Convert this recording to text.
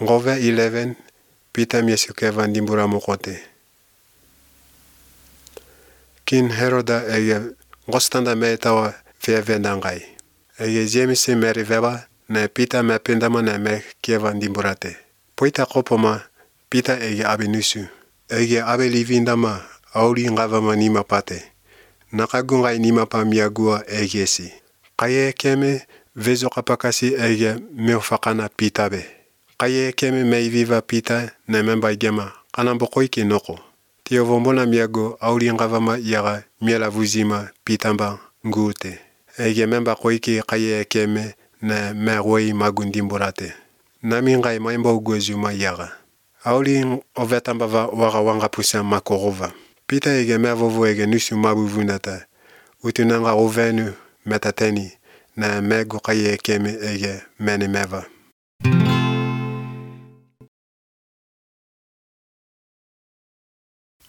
Ngove 11 Peter miesuke van dimbura mokote. Kin Heroda ege ngostanda metawa vevendangai. Ege jemisi meri veba na Peter me pindama na me kievan dimburate. Poita kopoma Peter ege abenusu. Ege abe livindama auri ngavama nima pate. Nakagungai nima pa miagua egesi. Kaye keme vezo kapakasi ege meofakana Peter be. Kaye keme meiviva Peter na memba gema kanambokoiki noko. Tiovombona miago auri ngavama yaga miela vuzima Peter ngute. Ege memba koiki kaye keme na merwei magundimburate. Nami ngai maimbo ugozuma yaga. Auli ovetambava waga wanga pusa makorova. Peter ege mevovo ege nusu mabuvunata. Utunanga ovenu metateni na mego kaye keme ege meni meva.